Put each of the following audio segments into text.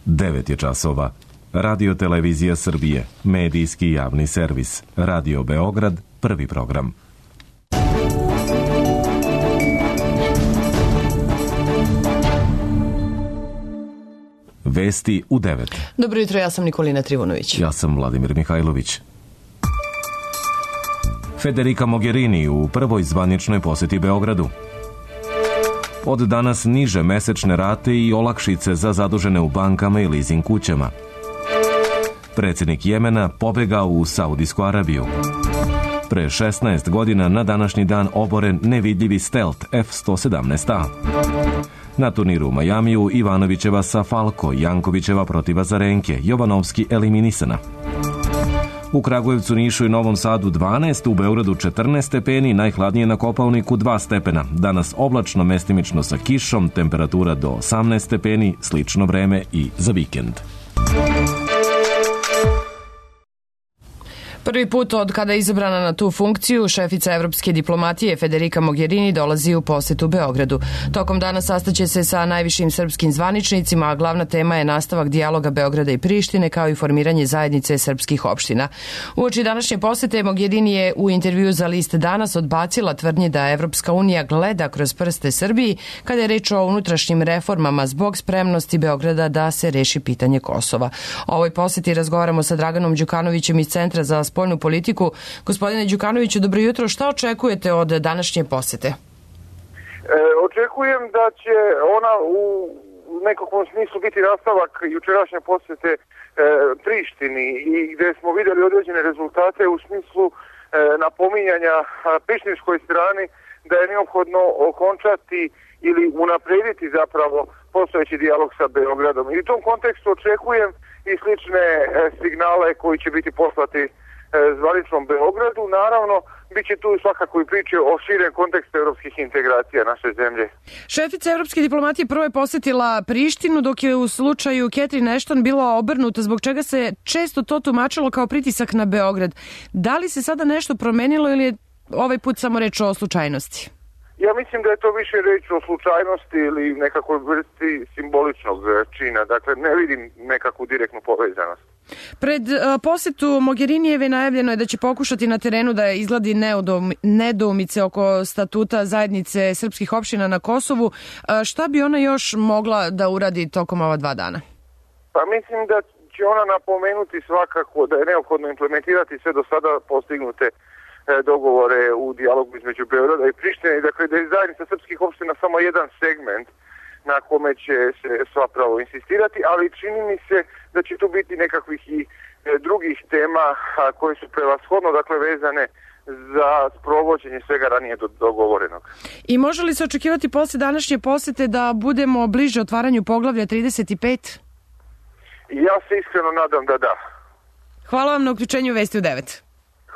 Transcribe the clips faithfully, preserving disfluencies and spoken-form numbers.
devet je časova. Radio Televizija Srbije, medijski javni servis. Radio Beograd, prvi program. Vesti u devet. Dobro jutro, ja sam Nikolina Trivunović. Ja sam Vladimir Mihajlović. Federica Mogherini u prvoj zvaničnoj poseti Beogradu. Od danas niže mesečne rate i olakšice za zadužene u bankama i leasing kućama. Predsjednik Jemena pobegao u Saudijsku Arabiju. Pre šesnaest godina na današnji dan oboren nevidljivi Stealth F sto sedamnaest A. Na turniru u Majamiju Ivanovićeva sa Falko, Jankovićeva protiv Azarenke, Jovanovski eliminisana. U Kragujevcu, Nišu i Novom Sadu dvanaest, u Beogradu četrnaest stepeni, najhladnije na Kopaoniku dva stepena. Danas oblačno, mestimično sa kišom, temperatura do osamnaest stepeni, slično vreme i za vikend. Prvi put od kada je izabrana na tu funkciju, šefica evropske diplomatije Federica Mogherini dolazi u posetu Beogradu. Tokom dana sastaće se sa najvišim srpskim zvaničnicima, a glavna tema je nastavak dijaloga Beograda i Prištine, kao i formiranje zajednice srpskih opština. Uoči današnje posete Mogherini je u intervju za list Danas odbacila tvrdnje da Evropska unija gleda kroz prste Srbiji kada je reč o unutrašnjim reformama zbog spremnosti Beograda da se reši pitanje Kosova. O ovoj poseti razgovaramo sa Draganom Đukanovićem iz Centra za spoljnu politiku. Gospodine Đukanoviću, dobro jutro. Šta očekujete od današnje posete? E, očekujem da će ona u nekakvom smislu biti nastavak jučerašnje posete e, Prištini, i gde smo vidjeli određene rezultate u smislu e, napominjanja prištinskoj strani da je neophodno okončati ili unaprediti zapravo postojeći dijalog sa Beogradom. I u tom kontekstu očekujem i slične e, signale koji će biti poslati zvaničnom Beogradu. Naravno, bit će tu svakako i priče o širem kontekstu evropskih integracija naše zemlje. Šefica evropske diplomatije prvo je posetila Prištinu, dok je u slučaju Catherine Ashton bila obrnuta, zbog čega se često to tumačilo kao pritisak na Beograd. Da li se sada nešto promenilo ili je ovaj put samo reč o slučajnosti? Ja mislim da je to više reč o slučajnosti ili nekakvoj vrsti simboličnog čina. Dakle, ne vidim nekakvu direktnu povezanost. Pred uh, posetu Mogherinijeve najavljeno je da će pokušati na terenu da izgladi nedoumice oko statuta zajednice srpskih opština na Kosovu. Uh, šta bi ona još mogla da uradi tokom ova dva dana? Pa mislim da će ona napomenuti svakako da je neophodno implementirati sve do sada postignute dogovore u dijalogu između Beograda i Prištine, dakle da je zajednica srpskih opština samo jedan segment na kome će se svapravo insistirati, ali čini mi se da će tu biti nekakvih i drugih tema koje su prevashodno, dakle, vezane za sprovođenje svega ranije dogovorenog. I može li se očekivati posle današnje posete da budemo bliže otvaranju poglavlja trideset pet? Ja se iskreno nadam da da. Hvala vam na uključenju Vesti u devet.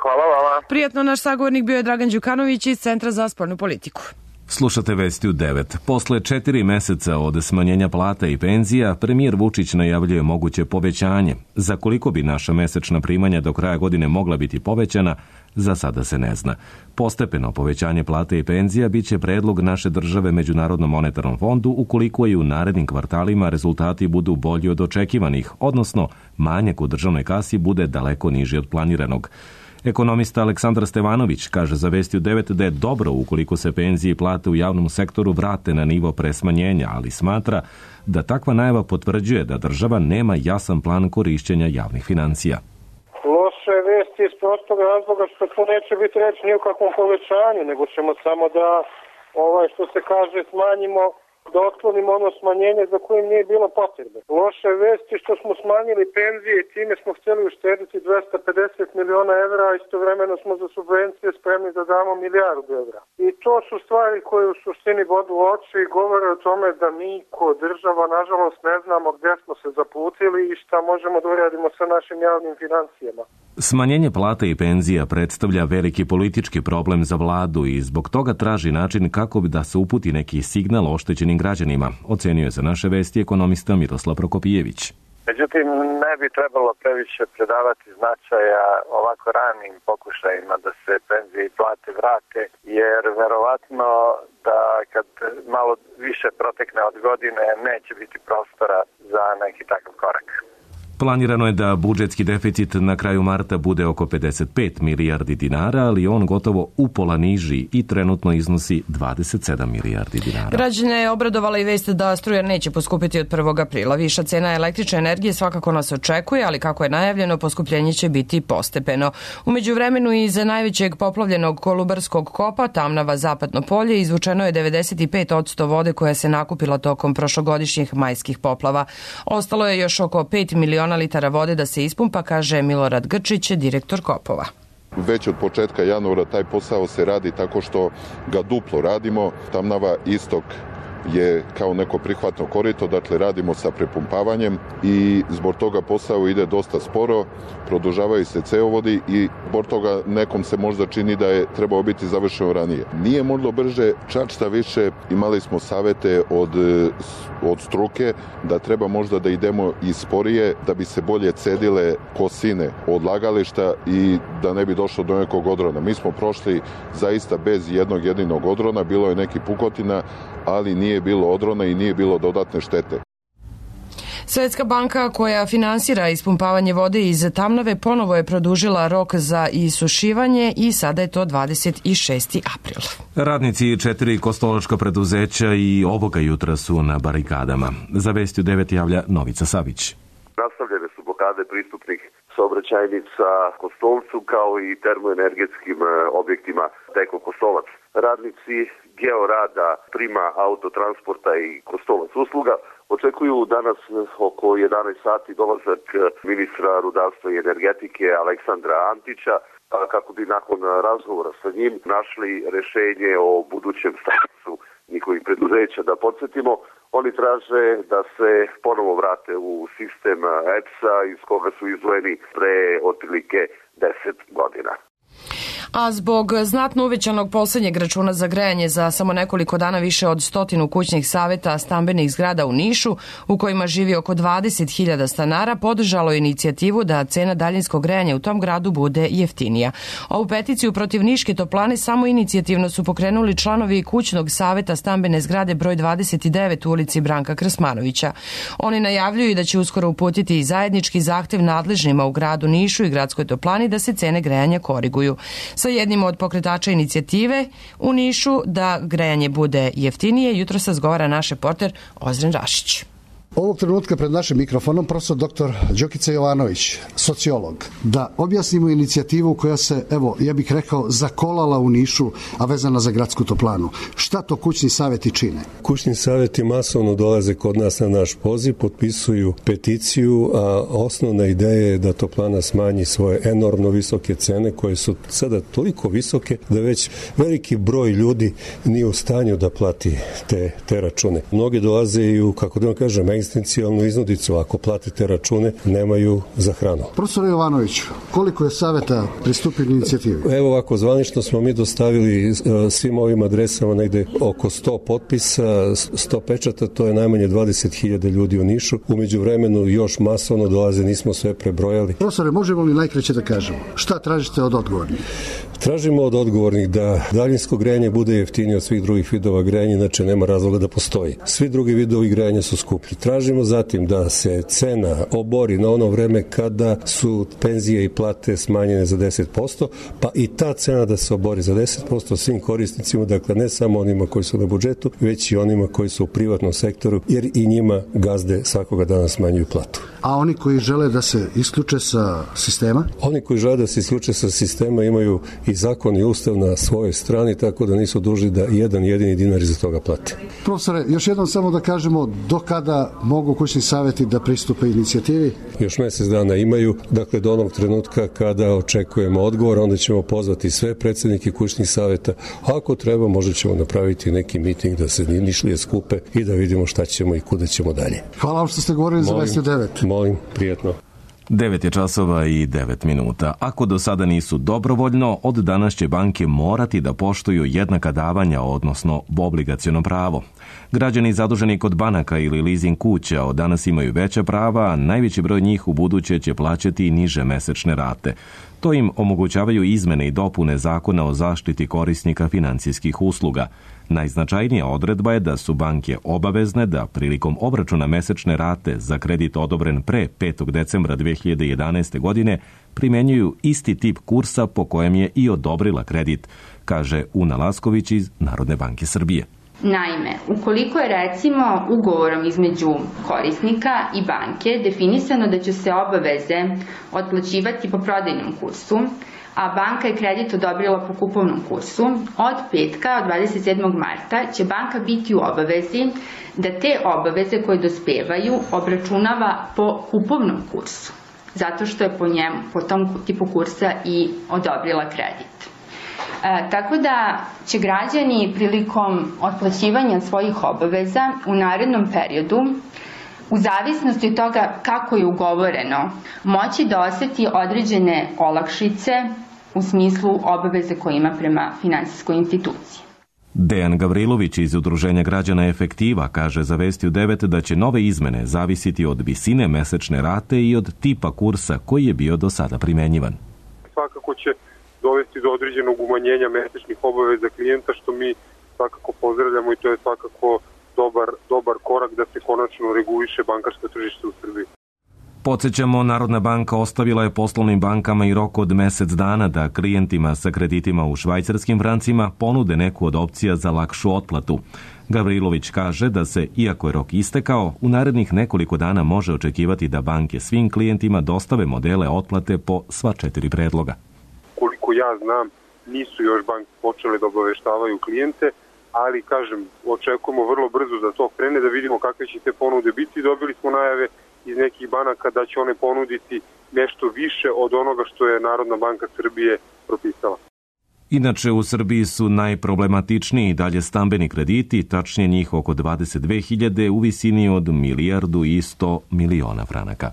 Hvala vama. Prijatno, naš sagovornik bio je Dragan Đukanović iz Centra za spoljnu politiku. Slušate Vesti u devet. Posle četiri meseca od smanjenja plata i penzija, premijer Vučić najavljuje moguće povećanje. Za koliko bi naša mesečna primanja do kraja godine mogla biti povećana, za sada se ne zna. Postepeno povećanje plate i penzija biće predlog naše države Međunarodnom monetarnom fondu ukoliko i u narednim kvartalima rezultati budu bolji od očekivanih, odnosno manjak u državnoj kasi bude daleko niži od planiranog. Ekonomista Aleksandar Stevanović kaže za Vesti u devet da je dobro ukoliko se penzije i plate u javnom sektoru vrate na nivo pre smanjenja, ali smatra da takva najava potvrđuje da država nema jasan plan korišćenja javnih financija. Loše vesti iz prostog razloga što to neće biti reč ni o kakvom povećanju, nego ćemo samo da, ovaj, što se kaže, smanjimo, da otklonimo ono smanjenje za kojim nije bilo potrebe. Loše vesti što smo smanjili penzije i time smo htjeli uštediti dvesta pedeset miliona evra, a istovremeno smo za subvencije spremni da damo milijardu evra. I to su stvari koje u suštini bodu oči i govore o tome da mi ko država nažalost ne znamo gdje smo se zaputili i šta možemo da uradimo sa našim javnim financijama. Smanjenje plata i penzija predstavlja veliki politički problem za vladu i zbog toga traži način kako bi da se uputi neki signal oštećenim građanima, ocenio je za naše Vesti ekonomista Miroslav Prokopijević. Međutim, ne bi trebalo previše predavati značaja ovako ranim pokušajima da se penzije i plate vrate, jer verovatno da kad malo više protekne od godine neće biti prostora za neki takav korak. Planirano je da budžetski deficit na kraju marta bude oko pedeset pet milijardi dinara, ali on gotovo upola niži i trenutno iznosi dvadeset sedam milijardi dinara. Građane je obradovala i vest da struja neće poskupiti od prvog aprila. Viša cena električne energije svakako nas očekuje, ali kako je najavljeno, poskupljenje će biti postepeno. U međuvremenu iz najvećeg poplavljenog Kolubarskog kopa, Tamnava Zapadno polje, izvučeno je devedeset pet posto vode koja se nakupila tokom prošlogodišnjih majskih poplava. Ostalo je još oko pet miliona litara vode da se ispumpa, kaže Milorad Grčić, direktor kopova. Već od početka januara taj posao se radi tako što ga duplo radimo. Tamnava istok je kao neko prihvatno korito, dakle radimo sa prepumpavanjem i zbog toga posao ide dosta sporo, produžavaju se cevovodi i zbog toga nekom se možda čini da je trebao biti završeno ranije. Nije moglo brže, čak šta više, imali smo savete od, od struke da treba možda da idemo i sporije da bi se bolje cedile kosine odlagališta i da ne bi došlo do nekog odrona. Mi smo prošli zaista bez jednog jedinog odrona, bilo je neki pukotina, ali nije bilo odrona i nije bilo dodatne štete. Svetska banka koja finansira ispumpavanje vode iz Tamnave ponovo je produžila rok za isušivanje i sada je to dvadeset šesti april. Radnici četiri kostolačka preduzeća i ovoga jutra su na barikadama. Za Vesti u devet javlja Novica Savić. Nastavljene su blokade pristupnih saobraćajnica Kostolcu kao i termoenergetskim objektima Teko Kostolac. Radnici Georada, Prima autotransporta i Kostolac usluga očekuju danas oko jedanaest sati dolazak ministra rudarstva i energetike Aleksandra Antića kako bi nakon razgovora sa njim našli rešenje o budućem statusu njihovih preduzeća. Da podsjetimo, oni traže da se ponovo vrate u sistem E P S-a iz koga su izdvojeni pre otprilike deset godina. A zbog znatno uvećanog poslednjeg računa za grejanje za samo nekoliko dana više od stotinu kućnih saveta stambenih zgrada u Nišu, u kojima živi oko dvadeset hiljada stanara, podržalo je inicijativu da cena daljinskog grejanja u tom gradu bude jeftinija. Ovu peticiju protiv Niške toplane samo inicijativno su pokrenuli članovi kućnog saveta stambene zgrade broj dvadeset devet u ulici Branka Krsmanovića. Oni najavljuju da će uskoro uputiti i zajednički zahtev nadležnima u gradu Nišu i gradskoj toplani da se cene grejanja koriguju. Sa jednim od pokretača inicijative u Nišu da grejanje bude jeftinije, jutro se razgovara naš reporter Ozren Rašić. Ovog trenutka pred našim mikrofonom profesor doktor Đokica Jovanović, sociolog, da objasnimo inicijativu koja se, evo, ja bih rekao, zakolala u Nišu, a vezana za gradsku toplanu. Šta to kućni saveti čine? Kućni saveti masovno dolaze kod nas na naš poziv, potpisuju peticiju, a osnovna ideja je da toplana smanji svoje enormno visoke cene, koje su sada toliko visoke da već veliki broj ljudi nije u stanju da plati te, te račune. Mnogi dolaze i u, kako da vam kažem, egzistencijalnu iznudicu, ako platite račune, nemaju za hranu. Profesor Jovanović, koliko je saveta pristupili inicijativi? Evo ovako, zvanično smo mi dostavili svim ovim adresama negde oko sto potpisa, sto pečata, to je najmanje dvadeset hiljada ljudi u Nišu. Umeđu vremenu još masovno dolaze, nismo sve prebrojali. Profesore, možemo li najkraće da kažemo? Šta tražite od odgovornih? Tražimo od odgovornih da daljinsko grejanje bude jeftinije od svih drugih vidova grejanja, znači nema razloga da postoji. Svi drugi vidovi grejanja su skuplji. Tražimo zatim da se cena obori na ono vreme kada su penzije i plate smanjene za deset posto, pa i ta cena da se obori za deset posto svim korisnicima, dakle ne samo onima koji su na budžetu, već i onima koji su u privatnom sektoru, jer i njima gazde svakoga dana smanjuju platu. A oni koji žele da se isključe sa sistema? Oni koji žele da se isključe sa sistema imaju i zakon i ustav na svojoj strani, tako da nisu dužni da jedan jedini dinar iza toga plate. Profesore, još jednom samo da kažemo do kada mogu kućni saveti da pristupe inicijativi? Još mesec dana imaju, dakle do onog trenutka kada očekujemo odgovor, onda ćemo pozvati sve predsednike kućnih saveta. Ako treba, možda ćemo napraviti neki miting da se Nišlije skupe i da vidimo šta ćemo i kuda ćemo dalje. Hvala vam što ste govorili za Vesti devet. Molim, prijatno. devet je časova i devet minuta. Ako do sada nisu dobrovoljno, od danas će banke morati da poštuju jednaka davanja, odnosno obligaciono pravo. Građani zaduženi kod banaka ili leasing kuća od danas imaju veća prava, a najveći broj njih u buduće će plaćati niže mesečne rate. To im omogućavaju izmene i dopune Zakona o zaštiti korisnika financijskih usluga. Najznačajnija odredba je da su banke obavezne da prilikom obračuna mesečne rate za kredit odobren pre petog decembra dve hiljade jedanaeste. godine primenjuju isti tip kursa po kojem je i odobrila kredit, kaže Una Lasković iz Narodne banke Srbije. Naime, ukoliko je recimo ugovorom između korisnika i banke definisano da će se obaveze otplaćivati po prodajnom kursu, a banka je kredit odobrila po kupovnom kursu, od petka, od dvadeset sedmog marta, će banka biti u obavezi da te obaveze koje dospevaju obračunava po kupovnom kursu, zato što je po njemu, po tom tipu kursa i odobrila kredit. E, tako da će građani prilikom otplaćivanja svojih obaveza u narednom periodu, u zavisnosti od toga kako je ugovoreno, moći da oseti određene olakšice u smislu obaveze koje ima prema finansijskoj instituciji. Dejan Gavrilović iz Udruženja građana Efektiva kaže za Vesti u devet da će nove izmene zavisiti od visine mesečne rate i od tipa kursa koji je bio do sada primenjivan. Svakako će dovesti do određenog umanjenja mesečnih obaveza klijenta, što mi svakako pozdravljamo i to je svakako dobar, dobar korak da se konačno reguliše bankarsko tržište u Srbiji. Podsećamo, Narodna banka ostavila je poslovnim bankama i rok od mesec dana da klijentima sa kreditima u švajcarskim francima ponude neku od opcija za lakšu otplatu. Gavrilović kaže da se, iako je rok istekao, u narednih nekoliko dana može očekivati da banke svim klijentima dostave modele otplate po sva četiri predloga. Koliko ja znam, nisu još banke počele da obaveštavaju klijente, ali, kažem, očekujemo vrlo brzo da to krene, da vidimo kakve će te ponude biti. Dobili smo najave iz nekih banaka da će one ponuditi nešto više od onoga što je Narodna banka Srbije propisala. Inače, u Srbiji su najproblematičniji dalje stambeni krediti, tačnije njih oko dvadeset dve hiljade u visini od milijardu i sto miliona franaka.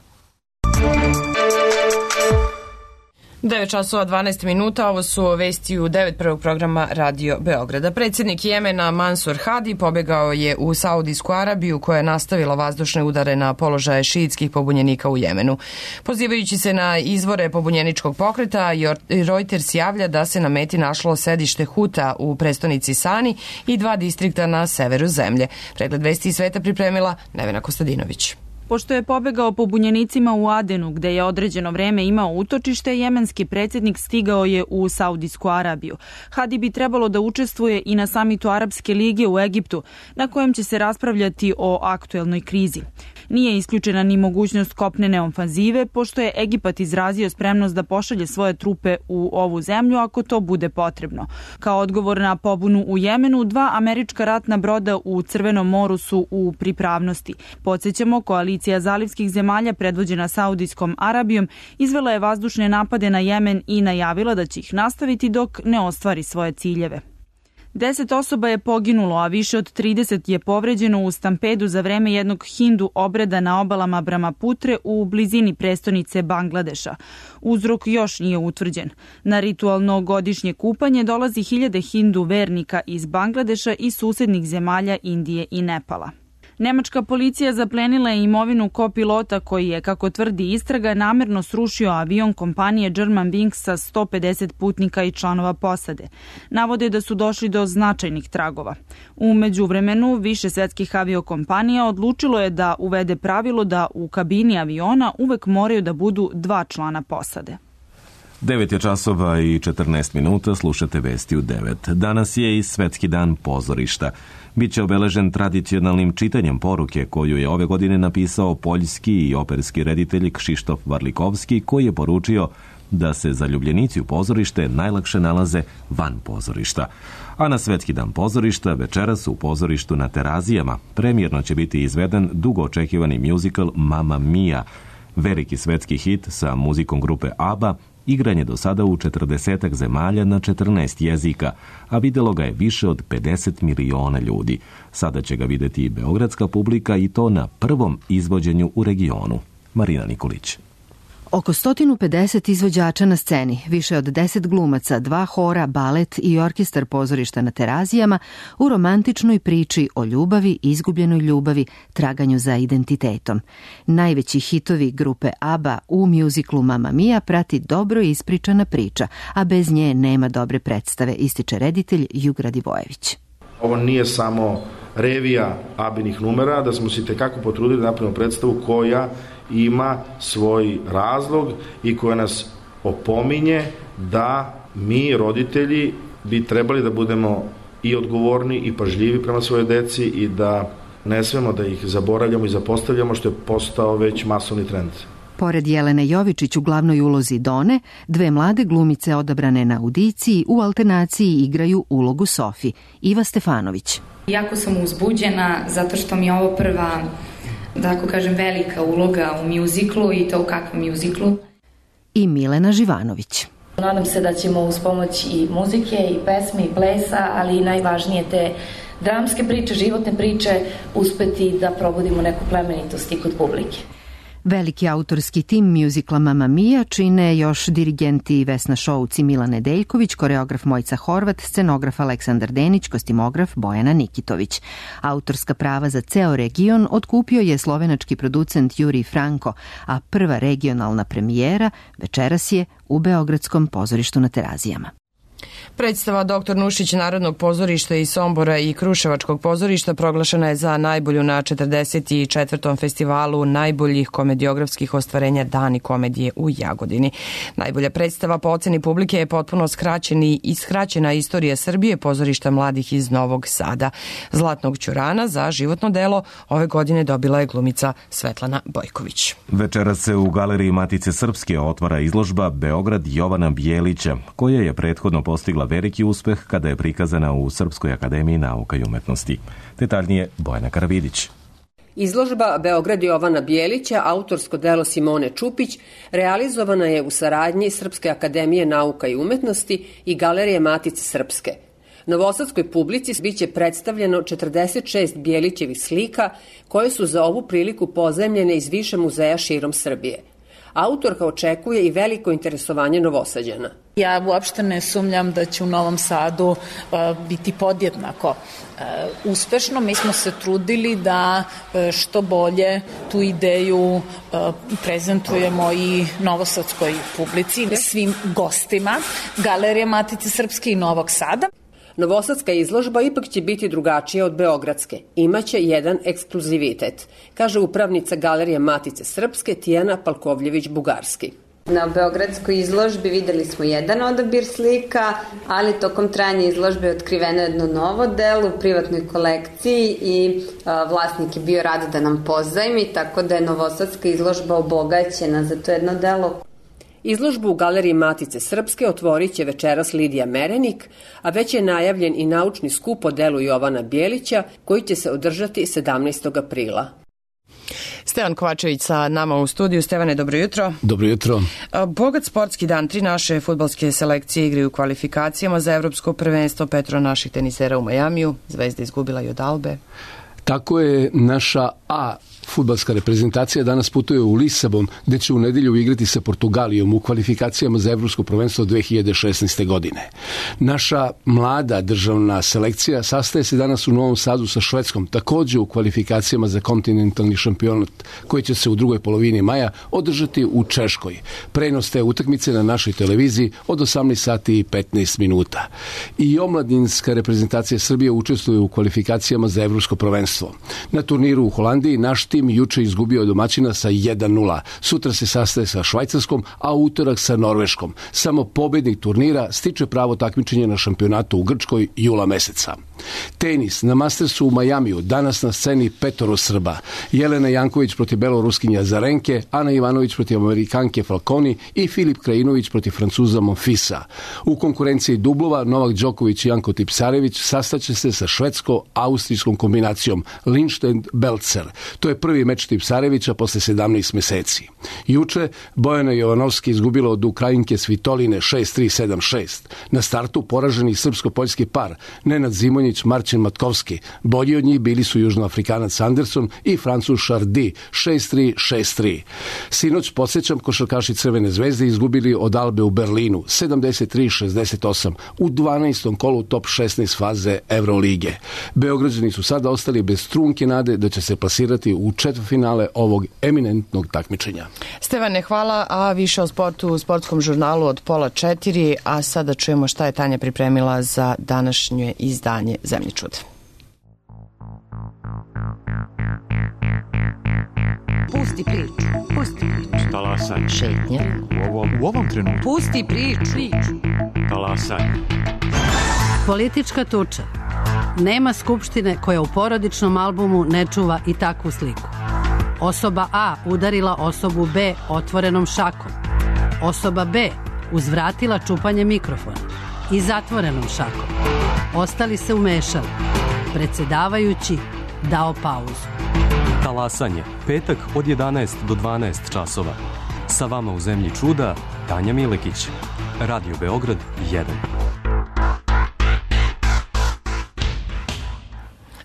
devet časova dvanaest minuta, ovo su vesti u devet prvog programa Radio Beograda. Predsjednik Jemena Mansur Hadi pobegao je u Saudijsku Arabiju koja je nastavila vazdušne udare na položaje šiitskih pobunjenika u Jemenu. Pozivajući se na izvore pobunjeničkog pokreta, Reuters javlja da se na meti našlo sedište Huta u prestonici Sani i dva distrikta na severu zemlje. Pregled vesti iz sveta pripremila Nevena Kostadinović. Pošto je pobegao pobunjenicima u Adenu, gde je određeno vreme imao utočište, jemenski predsjednik stigao je u Saudijsku Arabiju. Hadi bi trebalo da učestvuje i na samitu Arapske lige u Egiptu, na kojem će se raspravljati o aktuelnoj krizi. Nije isključena ni mogućnost kopnene ofanzive, pošto je Egipat izrazio spremnost da pošalje svoje trupe u ovu zemlju ako to bude potrebno. Kao odgovor na pobunu u Jemenu, dva američka ratna broda u Crvenom moru su u pripravnosti. Podsjećamo, koalicija zalivskih zemalja predvođena Saudijskom Arabijom izvela je vazdušne napade na Jemen i najavila da će ih nastaviti dok ne ostvari svoje ciljeve. Deset osoba je poginulo, a više od trideset je povređeno u stampedu za vreme jednog hindu obreda na obalama Brahmaputre u blizini prestonice Bangladeša. Uzrok još nije utvrđen. Na ritualno godišnje kupanje dolazi hiljade hindu vernika iz Bangladeša i susednih zemalja Indije i Nepala. Nemačka policija zaplenila je imovinu kopilota koji je, kako tvrdi istraga, namerno srušio avion kompanije Germanwings sa sto pedeset putnika i članova posade. Navode da su došli do značajnih tragova. U međuvremenu, više svetskih aviokompanija odlučilo je da uvede pravilo da u kabini aviona uvek moraju da budu dva člana posade. devet je časova i četrnaest minuta, slušate Vesti u devet. Danas je i Svetski dan pozorišta. Biće obeležen tradicionalnim čitanjem poruke koju je ove godine napisao poljski i operski reditelj Krzysztof Warlikowski, koji je poručio da se zaljubljenici u pozorište najlakše nalaze van pozorišta. A na Svetski dan pozorišta večeras u pozorištu na Terazijama premijerno će biti izveden dugo očekivani muzikal Mamma Mia, veliki svetski hit sa muzikom grupe ABBA, igran je do sada u četrdesetak zemalja na četrnaest jezika, a videlo ga je više od pedeset miliona ljudi. Sada će ga videti i beogradska publika i to na prvom izvođenju u regionu. Marina Nikolić. Oko sto pedeset izvođača na sceni, više od deset glumaca, dva hora, balet i orkestar pozorišta na Terazijama u romantičnoj priči o ljubavi, izgubljenoj ljubavi, traganju za identitetom. Najveći hitovi grupe ABBA u mjuziklu Mamma Mia prati dobro ispričana priča, a bez nje nema dobre predstave, ističe reditelj Jugra Divojević. Ovo nije samo revija Abinih numera, da smo se tekako potrudili da napravimo predstavu koja ima svoj razlog i koja nas opominje da mi, roditelji, bi trebali da budemo i odgovorni i pažljivi prema svojoj deci i da ne smemo da ih zaboravljamo i zapostavljamo, što je postao već masovni trend. Pored Jelene Jovičić u glavnoj ulozi Done, dve mlade glumice odabrane na audiciji u alternaciji igraju ulogu Sofi. Iva Stefanović. Jako sam uzbuđena zato što mi je ovo prva, da tako kažem, velika uloga u mjuziklu i to u kakvom mjuziklu. I Milena Živanović. Nadam se da ćemo uz pomoć i muzike, i pesme, i plesa, ali i najvažnije te dramske priče, životne priče, uspeti da probudimo neku plemenitost i kod publike. Veliki autorski tim mjuzikla Mamma Mia čine još dirigenti Vesna Šouc i Milan Nedeljković, koreograf Mojca Horvat, scenograf Aleksandar Denić, kostimograf Bojana Nikitović. Autorska prava za ceo region otkupio je slovenački producent Jurij Franko, a prva regionalna premijera večeras je u Beogradskom pozorištu na Terazijama. Predstava Doktor Nušić Narodnog pozorišta iz Sombora i Kruševačkog pozorišta proglašena je za najbolju na četrdeset četvrtom festivalu najboljih komediografskih ostvarenja Dani komedije u Jagodini. Najbolja predstava po oceni publike je potpuno skraćeni i skraćena istorija Srbije pozorišta mladih iz Novog Sada. Zlatnog ćurana za životno delo ove godine dobila je glumica Svetlana Bojković. Večeras se u Galeriji Matice Srpske otvara izložba Beograd Jovana Bijelića, koja je prethodno postigla veliki uspeh kada je prikazana u Srpskoj akademiji nauka i umetnosti. Detaljnije Bojana Karavidić. Izložba Beograd Jovana Bijelića, autorsko delo Simone Čupić, realizovana je u saradnji Srpske akademije nauka i umetnosti i Galerije Matice Srpske. Novosadskoj publici biće predstavljeno četrdeset šest Bijelićevih slika koje su za ovu priliku pozajmljene iz više muzeja širom Srbije. Autorka očekuje i veliko interesovanje Novosađana. Ja uopšte ne sumnjam da će u Novom Sadu uh, biti podjednako uh, uspešno. Mi smo se trudili da uh, što bolje tu ideju uh, prezentujemo i novosadskoj publici, svim gostima Galerije Matice Srpske i Novog Sada. Novosadska izložba ipak će biti drugačija od beogradske. Imaće jedan ekskluzivitet, kaže upravnica Galerije Matice Srpske Tijana Palkovljević-Bugarski. Na beogradskoj izložbi videli smo jedan odabir slika, ali tokom trajanja izložbe je otkriveno jedno novo delo u privatnoj kolekciji i a, vlasnik je bio rad da nam pozajmi, tako da je novosadska izložba obogaćena za to jedno delo. Izložbu u Galeriji Matice Srpske otvorit će večeras Lidija Merenik, a već je najavljen i naučni skup o delu Jovana Bijelića koji će se održati sedamnaestog aprila. Stevan Kovačević sa nama u studiju. Stevane, dobro jutro. Dobro jutro. Bogat sportski dan. Tri naše fudbalske selekcije igraju u kvalifikacijama za evropsko prvenstvo. Petro naših tenisera u Majamiju. Zvezda izgubila i od Albe. Tako je, naša A fudbalska reprezentacija danas putuje u Lisabon, gde će u nedelju igrati sa Portugalijom u kvalifikacijama za evropsko prvenstvo dve hiljade šesnaeste. godine. Naša mlada državna selekcija sastaje se danas u Novom Sadu sa Švedskom, takođe u kvalifikacijama za kontinentalni šampionat, koji će se u drugoj polovini maja održati u Češkoj. Prenos te utakmice na našoj televiziji od osamnaest sati i petnaest minuta. I omladinska reprezentacija Srbije učestvuje u kvalifikacijama za evropsko prvenstvo. Na turniru u Holandiji naš tim juče izgubio domaćina sa jedan nula. Sutra se sastaje sa Švajcarskom, a utorak sa Norveškom. Samo pobednik turnira stiče pravo takmičenja na šampionatu u Grčkoj jula meseca. Tenis na Mastersu u Majamiju, danas na sceni petoro Srba. Jelena Janković protiv beloruskinja Zarenke, Ana Ivanović protiv Amerikanke Falconi i Filip Krajinović protiv Francuza Monfisa. U konkurenciji dublova Novak Đoković i Janko Tipsarević sastaće se sa švedsko-austrijskom kombinacijom Lindstedt-Belzer. To je prvi Prvi meč Tipsarevića posle sedamnaest meseci. Juče Bojana Jovanovski izgubila od Ukrajinke Svitoline šest tri sedam šest. Na startu poraženi srpsko-poljski par Nenad Zimonjić, Marcin Matkovski. Bolji od njih bili su južnoafrikanac Anderson i Francuz Chardy šest tri šest tri. Sinoć, podsjećam, košarkaši Crvene zvezde izgubili od Albe u Berlinu sedamdeset tri šezdeset osam u dvanaestom kolu top šesnaest faze Evrolige. Beograđani su sada ostali bez trunke nade da će se plasirati u četvrtfinale ovog eminentnog takmičenja. Stevane, hvala, a više o sportu u sportskom žurnalu od pola četiri, a sada čujemo šta je Tanja pripremila za današnje izdanje Zemlje čuda. Pusti priču, pusti priču. Talasanje. Šetnja. U ovom, u ovom trenutku. Pusti priču. priču. Talasanje. Politička tuča. Nema skupštine koja u porodičnom albumu ne čuva i takvu sliku. Osoba A udarila osobu B otvorenom šakom. Osoba B uzvratila čupanje mikrofona i zatvorenom šakom. Ostali se umešali. Predsjedavajući dao pauzu. Talasanje, petak od jedanaest do dvanaest časova. Sa vama u Zemlji čuda, Tanja Milekić. Radio Beograd jedan.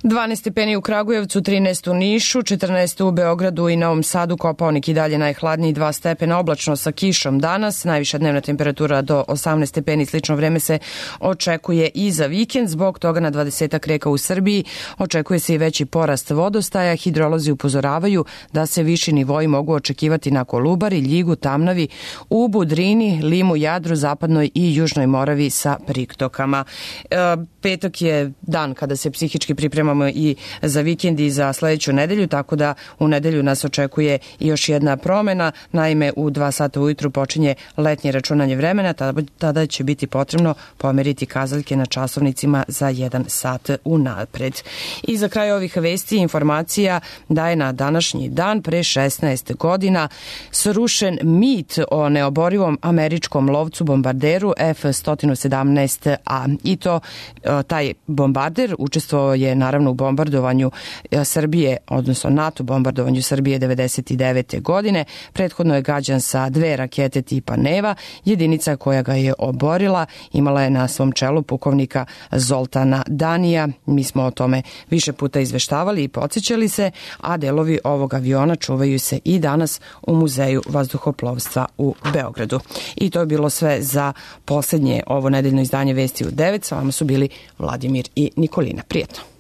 dvanaest stepeni u Kragujevcu, trinaest u Nišu, četrnaest u Beogradu i Novom Sadu, Kopaonik i dalje najhladniji, dva stepena, oblačno sa kišom danas, najviša dnevna temperatura do osamnaest stepeni, slično vreme se očekuje i za vikend, zbog toga na dvadesetak reka u Srbiji očekuje se i veći porast vodostaja, hidrolozi upozoravaju da se viši nivoji mogu očekivati na Kolubari, Ljigu, Tamnavi, Ubu, Drini, Limu, Jadru, Zapadnoj i Južnoj Moravi sa priktokama. E, petak je dan kada se psihički pripremamo i za vikend i za sledeću nedelju, tako da u nedelju nas očekuje i još jedna promena. Naime, u dva sata ujutru počinje letnje računanje vremena, tada će biti potrebno pomeriti kazaljke na časovnicima za jedan sat unapred. I za kraj ovih vesti informacija da je na današnji dan pre šesnaest godina srušen mit o neoborivom američkom lovcu bombarderu F sto sedamnaest A. I to taj bombarder učestvovao je naravno u bombardovanju Srbije, odnosno NATO bombardovanju Srbije devedeset devete godine. Prethodno je gađan sa dve rakete tipa Neva. Jedinica koja ga je oborila imala je na svom čelu pukovnika Zoltana Danija. Mi smo o tome više puta izveštavali i podsjećali se, a delovi ovog aviona čuvaju se i danas u Muzeju vazduhoplovstva u Beogradu. I to je bilo sve za poslednje ovo nedeljno izdanje Vesti u devet. Sa vama su bili Vladimir i Nikolina. Prijetno.